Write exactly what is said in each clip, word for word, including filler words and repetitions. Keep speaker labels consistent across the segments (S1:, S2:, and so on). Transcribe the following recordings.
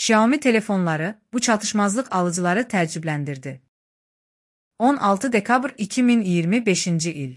S1: Xiaomi telefonları bu çatışmazlıq alıcıları təəccübləndirdi. on altı dekabr iki min iyirmi beşinci il.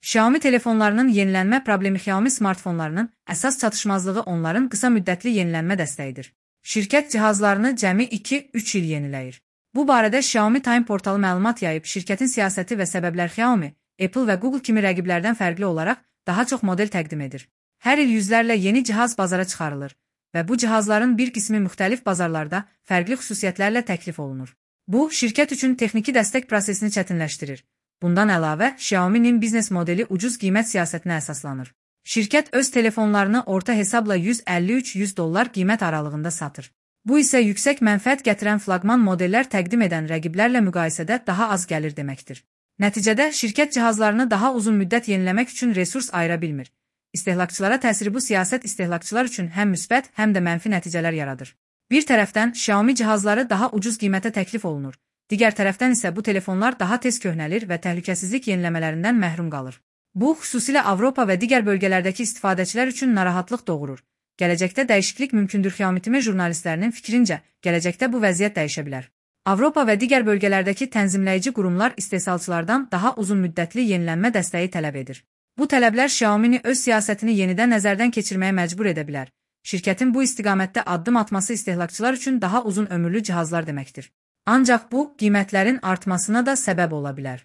S1: Xiaomi telefonlarının yenilənmə problemi Xiaomi smartfonlarının əsas çatışmazlığı onların qısa müddətli yenilənmə dəstəyidir. Şirkət cihazlarını cəmi iki üç il yeniləyir. Bu barədə Xiaomi Time portalı məlumat yayıb, şirkətin siyasəti və səbəblər Xiaomi, Apple və Google kimi rəqiblərdən fərqli olaraq daha çox model təqdim edir. Hər il yüzlərlə yeni cihaz bazara çıxarılır və bu cihazların bir qismi müxtəlif bazarlarda fərqli xüsusiyyətlərlə təklif olunur. Bu, şirkət üçün texniki dəstək prosesini çətinləşdirir. Bundan əlavə, Xiaomi'nin biznes modeli ucuz qiymət siyasətinə əsaslanır. Şirkət öz telefonlarını orta hesabla yüz əlli üç yüz dollar qiymət aralığında satır. Bu isə yüksək mənfəət gətirən flaqman modellər təqdim edən rəqiblərlə müqayisədə daha az gəlir deməkdir. Nəticədə, şirkət cihazlarını daha uzun müddət yeniləmək üçün resurs ayıra bilmir. İstehlakçılara təsiri bu siyasət istehlakçılar üçün həm müsbət, həm də mənfi nəticələr yaradır. Bir tərəfdən, Xiaomi cihazları daha ucuz qiymətə təklif olunur. Digər tərəfdən isə bu telefonlar daha tez köhnəlir və təhlükəsizlik yeniləmələrindən məhrum qalır. Bu, xüsusilə Avropa və digər bölgələrdəki istifadəçilər üçün narahatlıq doğurur. Gələcəkdə dəyişiklik mümkündür. Xiaomi jurnalistlərinin fikrincə, gələcəkdə bu vəziyyət dəyişə bilər. Avropa və digər bölgələrdəki tənzimləyici qurumlar istehsalçılardan daha uzun müddətli yenilənmə dəstəyi tələb edir. Bu tələblər Xiaomi'ni öz siyasətini yenidən nəzərdən keçirməyə məcbur edə bilər. Şirkətin bu istiqamətdə addım atması istehlakçılar üçün daha uzun ömürlü cihazlar deməkdir. Ancaq bu, qiymətlərin artmasına da səbəb ola bilər.